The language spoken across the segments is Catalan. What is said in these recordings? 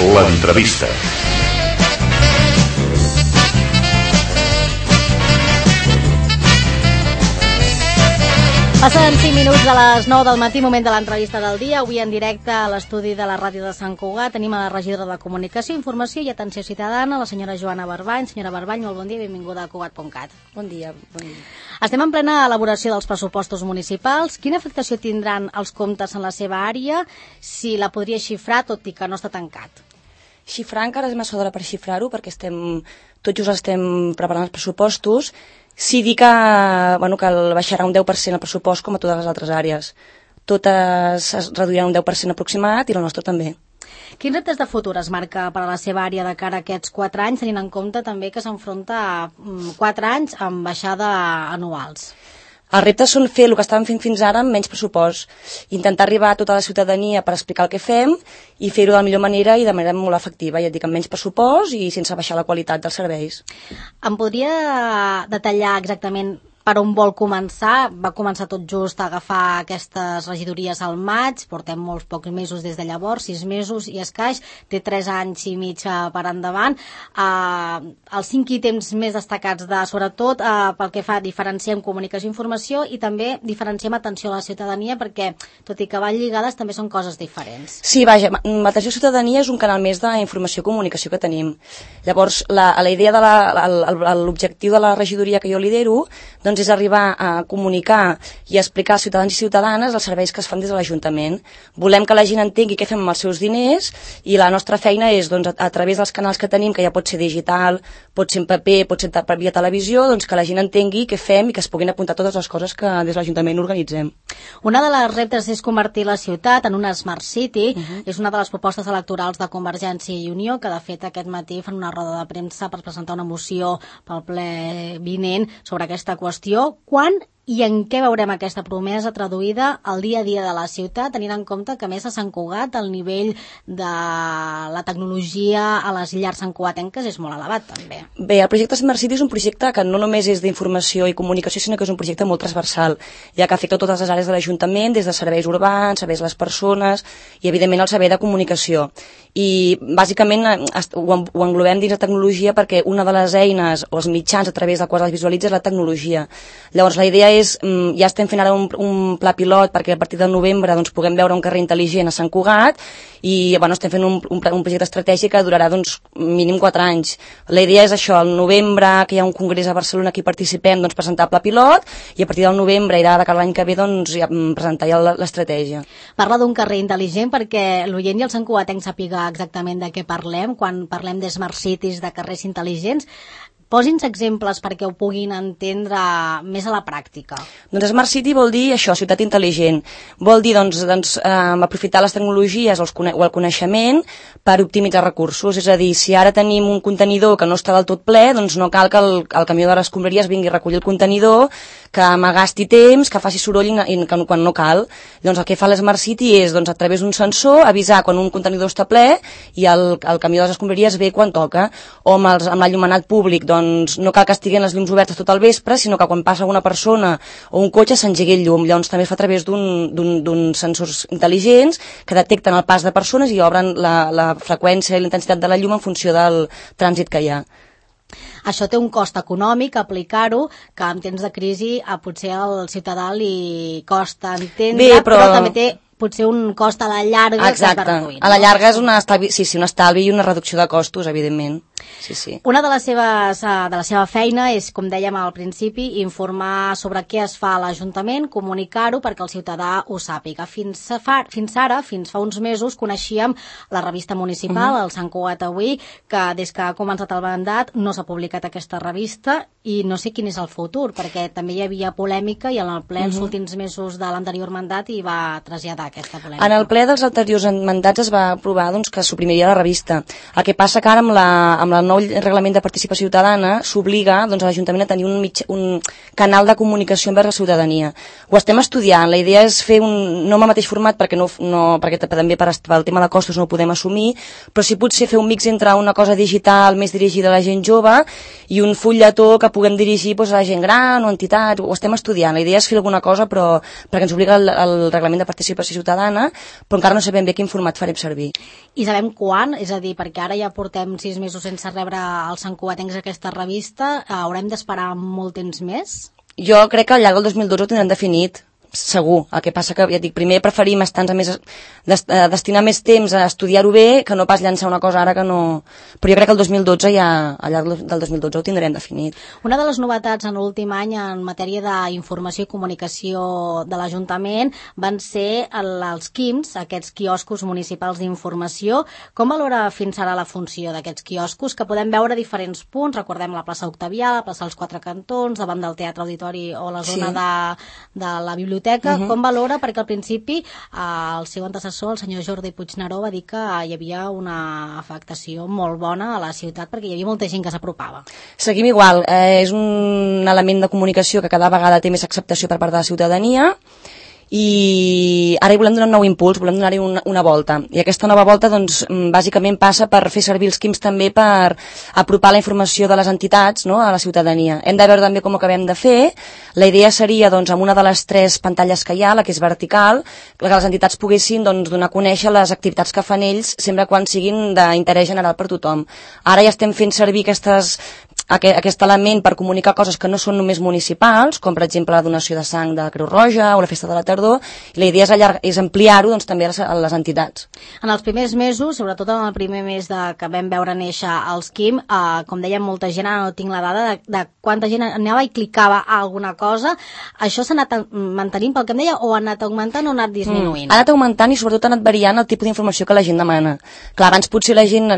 L'entrevista. Passen 5 minuts de les 9 del matí, moment de l'entrevista del dia. Avui en directe a l'estudi de la ràdio de Sant Cugat tenim a la regidora de Comunicació, Informació i Atenció Ciutadana, la senyora Joana Barbany. Senyora Barbany, molt bon dia i benvinguda a Cugat.cat. Bon dia. Estem en plena elaboració dels pressupostos municipals. Quina afectació tindran els comptes en la seva àrea? Si la podria xifrar, tot i que no està tancat. Xifrar encara és massa d'hora per xifrar-ho, perquè tot just estem preparant els pressupostos. Sí dir que baixarà un 10% el pressupost com a totes les altres àrees. Totes es reduiran un 10% aproximat i la nostra també. Quins reptes de futur es marca per a la seva àrea de cara a aquests 4 anys, tenint en compte també que s'enfronta a 4 anys amb baixada anuals? Els reptes són fer el que estàvem fent fins ara amb menys pressupost, intentar arribar a tota la ciutadania per explicar el que fem i fer-ho de la millor manera i de manera molt efectiva, ja et dic, amb menys pressupost i sense baixar la qualitat dels serveis. Em podria detallar exactament per on vol començar? Va començar tot just a agafar aquestes regidories al maig, portem molts pocs mesos des de llavors, 6 mesos i escaix, té 3 anys i mig per endavant. Els 5 ítems més destacats sobretot pel que fa diferenciem comunicació i informació i també diferenciem atenció a la ciutadania, perquè tot i que van lligades també són coses diferents. Sí, vaja, l'atenció a la ciutadania és un canal més d'informació i comunicació que tenim. Llavors, la idea de l'objectiu de la regidoria que jo lidero és arribar a comunicar i a explicar als ciutadans i ciutadanes els serveis que es fan des de l'Ajuntament. Volem que la gent entengui què fem amb els seus diners i la nostra feina és, a través dels canals que tenim, que ja pot ser digital, pot ser en paper, pot ser per via televisió, que la gent entengui què fem i que es puguin apuntar totes les coses que des de l'Ajuntament organitzem. Una de les reptes és convertir la ciutat en una Smart City. És una de les propostes electorals de Convergència i Unió, que de fet aquest matí fan una roda de premsa per presentar una moció pel ple vinent sobre aquesta qüestió. Quan i en què veurem aquesta promesa traduïda al dia a dia de la ciutat, tenint en compte que a més a Sant Cugat el nivell de la tecnologia a les llars santcugatenques és molt elevat també? Bé, el projecte Smart City és un projecte que no només és d'informació i comunicació, sinó que és un projecte molt transversal, ja que afecta totes les àrees de l'Ajuntament, des de serveis urbans, serveis a les persones i evidentment el servei de comunicació. I bàsicament ho englobem dins la tecnologia perquè una de les eines o els mitjans a través del qual es visualitza és la tecnologia. Llavors la idea és, ja estem fent ara un pla pilot perquè a partir de novembre puguem veure un carrer intel·ligent a Sant Cugat i estem fent un projecte estratègic que durarà mínim 4 anys. La idea és això, al novembre, que hi ha un congrés a Barcelona que hi participem, presentar el pla pilot i a partir del novembre i de cara a l'any que ve ja presentar ja l'estratègia. Parla d'un carrer intel·ligent perquè l'oient i el santcugatenc sàpiga exactament de què parlem quan parlem de Smart Cities, de carrers intel·ligents. Posi'ns exemples perquè ho puguin entendre més a la pràctica. Smart City vol dir això, ciutat intel·ligent. Vol dir aprofitar les tecnologies o el coneixement per optimitzar recursos. És a dir, si ara tenim un contenidor que no està del tot ple, no cal que el camió de les escombraries vingui a recollir el contenidor, que m'agasti temps, que faci soroll quan no cal. Llavors el que fa l'Smart City és, a través d'un sensor, avisar quan un contenidor està ple i el camió de les escombraries ve quan toca. O amb l'enllumenat públic, no cal que estiguin les llums obertes tot el vespre, sinó que quan passa una persona o un cotxe s'engegui el llum. Llavors també es fa a través d'uns sensors intel·ligents que detecten el pas de persones i obren la freqüència i la intensitat de la llum en funció del trànsit que hi ha. Això té un cost econòmic, aplicar-ho, que en temps de crisi potser al ciutadà li costa entendre, però també té potser un cost a la llarga. Exacte, a la llarga és un estalvi i una reducció de costos, evidentment. Sí. Una de la seva feina és, com dèiem al principi, informar sobre què es fa a l'Ajuntament, comunicar-ho perquè el ciutadà ho sàpiga. Fins fa uns mesos, coneixíem la revista municipal, el Sant Cugat Avui, que des que ha començat el mandat no s'ha publicat aquesta revista i no sé quin és el futur, perquè també hi havia polèmica i en el ple els últims mesos de l'anterior mandat hi va traslladar aquesta polèmica. En el ple dels anteriors mandats es va aprovar que es suprimiria la revista. El que passa que ara amb amb el nou reglament de participació ciutadana s'obliga doncs, a l'Ajuntament a tenir un canal de comunicació envers la ciutadania. Ho estem estudiant, la idea és fer no amb el mateix format perquè també pel tema de costos no ho podem assumir, però sí potser fer un mix entre una cosa digital més dirigida a la gent jove i un fulletó que puguem dirigir doncs, a la gent gran o entitats, ho estem estudiant. La idea és fer alguna cosa però perquè ens obliga el reglament de participació ciutadana, però encara no sabem bé quin format farem servir. I sabem quan? És a dir, perquè ara ja portem 6 mesos sense rebre els santcugatencs aquesta revista, haurem d'esperar molt temps més? Jo crec que al llarg del 2012 ho tindrem definit, segur. El que passa que, ja dic, primer preferim destinar més temps a estudiar-ho bé que no pas llançar una cosa ara que no... Però jo crec que el 2012 ja, al llarg del 2012 ho tindrem definit. Una de les novetats en l'últim any en matèria d'informació i comunicació de l'Ajuntament van ser els QIMs, aquests quioscos municipals d'informació. Com valora fins ara la funció d'aquests quioscos, que podem veure a diferents punts? Recordem la plaça Octavià, la plaça dels Quatre Cantons, davant del Teatre Auditori o la zona de la biblioteca. Com valora? Perquè al principi el seu antecessor, el senyor Jordi Puigneró, va dir que hi havia una afectació molt bona a la ciutat perquè hi havia molta gent que s'apropava. Seguim igual. És un element de comunicació que cada vegada té més acceptació per part de la ciutadania i ara hi volem donar un nou impuls, volem donar-hi una volta. I aquesta nova volta, doncs, bàsicament passa per fer servir els QIMs també per apropar la informació de les entitats, no?, a la ciutadania. Hem de veure també com ho acabem de fer. La idea seria, doncs, amb una de les 3 pantalles que hi ha, la que és vertical, que les entitats poguessin, doncs, donar a conèixer les activitats que fan ells, sempre quan siguin d'interès general per tothom. Ara ja estem fent servir aquest element per comunicar coses que no són només municipals, com per exemple la donació de sang de Creu Roja o la festa de la tardor, i la idea és ampliar-ho doncs, també a les entitats. En els primers mesos, sobretot en el primer mes que vam veure néixer els QIM, com dèiem, molta gent, ara no tinc la dada de quanta gent anava i clicava a alguna cosa. Això s'ha anat mantenint pel que em deia, o ha anat augmentant o ha anat disminuint? Ha anat augmentant i sobretot ha anat variant el tipus d'informació que la gent demana. Clar, abans potser la gent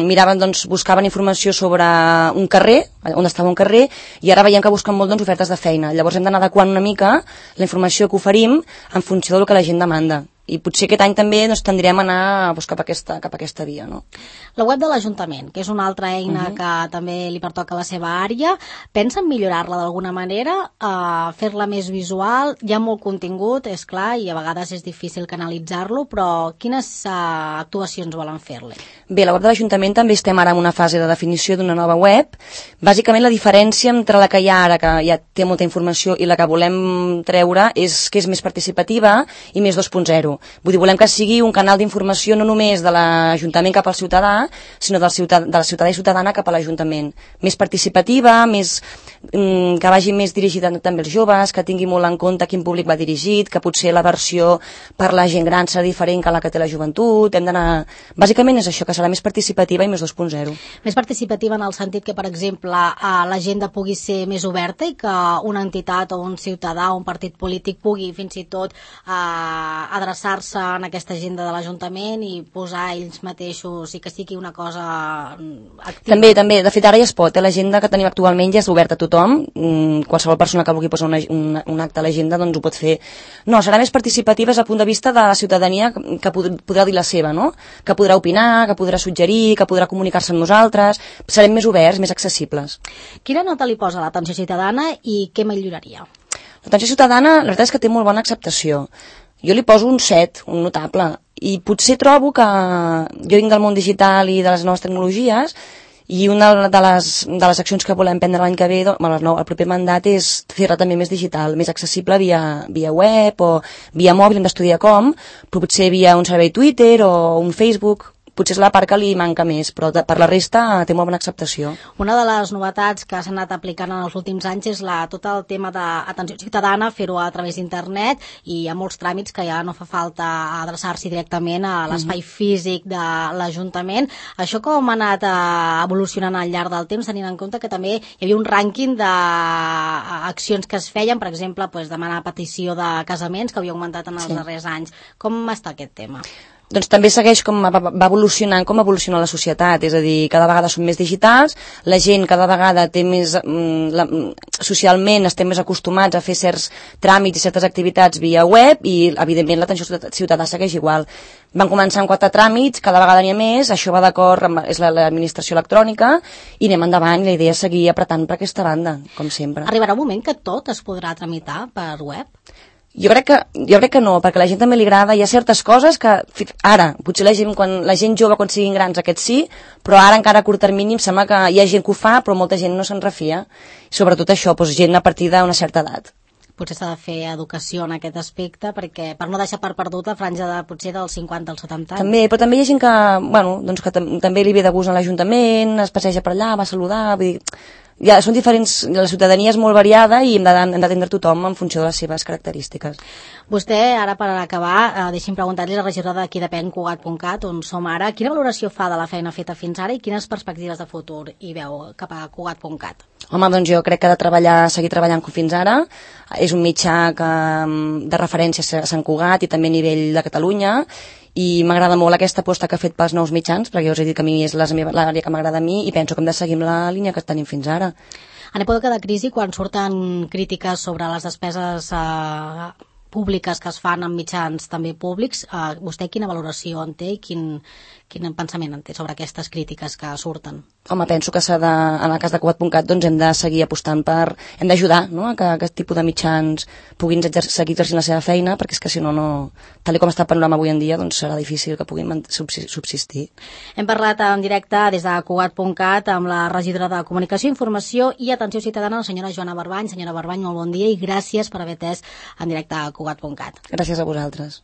miraven, doncs, buscaven informació sobre un carrer, on estava un carrer, i ara veiem que busquen molt, doncs, ofertes de feina. Llavors hem d'anar adequant una mica la informació que oferim en funció del que la gent demanda. I potser aquest any també doncs, tendrem a anar cap a aquesta via. No? La web de l'Ajuntament, que és una altra eina que també li pertoca a la seva àrea, pensen millorar-la d'alguna manera, fer-la més visual? Hi ha molt contingut, és clar, i a vegades és difícil canalitzar-lo, però quines actuacions volen fer-li? Bé, la web de l'Ajuntament també estem ara en una fase de definició d'una nova web. Bàsicament la diferència entre la que hi ha ara, que ja té molta informació, i la que volem treure és que és més participativa i més 2.0. Vull dir, volem que sigui un canal d'informació no només de l'Ajuntament cap al ciutadà, sinó de la ciutadà i ciutadana cap a l'Ajuntament. Més participativa, que vagi més dirigida també als joves, que tingui molt en compte quin públic va dirigit, que potser la versió per la gent gran serà diferent que la que té la joventut. Hem d'anar... Bàsicament és això, que serà més participativa i més 2.0. Més participativa en el sentit que, per exemple, l'agenda pugui ser més oberta i que una entitat o un ciutadà o un partit polític pugui fins i tot adreçar en aquesta agenda de l'Ajuntament i posar ells mateixos i que sigui una cosa activa. També. De fet, ara ja es pot. L'agenda que tenim actualment ja és oberta a tothom. Qualsevol persona que vulgui posar un acte a l'agenda doncs ho pot fer. No, serà més participativa des del punt de vista de la ciutadania que podrà dir la seva, no? Que podrà opinar, que podrà suggerir, que podrà comunicar-se amb nosaltres. Serem més oberts, més accessibles. Quina nota li posa l'atenció ciutadana i què milloraria? L'atenció ciutadana, la veritat és que té molt bona acceptació. Jo li poso un 7, un notable, i potser trobo que jo vinc del món digital i de les noves tecnologies, i una de les accions que volem prendre l'any que ve, el proper mandat, és fer-la també més digital, més accessible via web o via mòbil, hem d'estudiar com, però potser via un servei Twitter o un Facebook. Potser és la part que li manca més, però per la resta té molt bona acceptació. Una de les novetats que s'han anat aplicant en els últims anys és tot el tema d'atenció ciutadana, fer-ho a través d'internet, i hi ha molts tràmits que ja no fa falta adreçar-s'hi directament a l'espai físic de l'Ajuntament. Això com ha anat evolucionant al llarg del temps, tenint en compte que també hi havia un rànquing d'accions que es feien, per exemple, demanar petició de casaments, que havia augmentat en els darrers anys. Com està aquest tema? Doncs també segueix com va evolucionant com evoluciona la societat, és a dir, cada vegada són més digitals, la gent cada vegada té més, socialment estem més acostumats a fer certs tràmits i certes activitats via web i, evidentment, l'atenció ciutadà segueix igual. Van començar amb 4 tràmits, cada vegada n'hi ha més, això va d'acord amb l'administració electrònica i anem endavant, i la idea és seguir apretant per aquesta banda, com sempre. Arribarà un moment que tot es podrà tramitar per web? Jo crec que no, perquè a la gent també li agrada. Hi ha certes coses que ara, potser la gent jove quan siguin grans aquest sí, però ara encara a curt termini em sembla que hi ha gent que ho fa, però molta gent no se'n refia. Sobretot això, doncs, gent a partir d'una certa edat. Potser s'ha de fer educació en aquest aspecte, perquè per no deixar per perdut la franja potser dels 50 als 70 anys. També, però també hi ha gent que, doncs que també li ve de gust a l'Ajuntament, es passeja per allà, va a saludar, vull dir, ja són diferents, la ciutadania és molt variada i hem d'atendre tothom en funció de les seves característiques. Vostè, ara per acabar, deixi'm preguntar-li la regidora d'Aquí depèn, Cugat.cat, on som ara, quina valoració fa de la feina feta fins ara i quines perspectives de futur hi veu cap a Cugat.cat? Home, doncs jo crec que ha de seguir treballant com fins ara. És un mitjà de referència a Sant Cugat i també a nivell de Catalunya, i m'agrada molt aquesta aposta que ha fet pels nous mitjans, perquè ja us he dit que a mi és l'àrea que m'agrada a mi i penso que hem de seguir amb la línia que tenim fins ara. En època de crisi, quan surten crítiques sobre les despeses públiques que es fan en mitjans també públics, vostè quina valoració en té i quin pensament en té sobre aquestes crítiques que surten? Home, penso que en el cas de Cugat.cat doncs hem de seguir apostant hem d'ajudar, no?, a que aquest tipus de mitjans puguin seguir exercint la seva feina, perquè és que si no, tal com està el panorama avui en dia, doncs serà difícil que puguin subsistir. Hem parlat en directe des de Cugat.cat amb la regidora de Comunicació, Informació i Atenció Ciutadana, la senyora Joana Barbany. Senyora Barbany, molt bon dia i gràcies per haver atès en directe a Cugat.cat. Gràcies a vosaltres.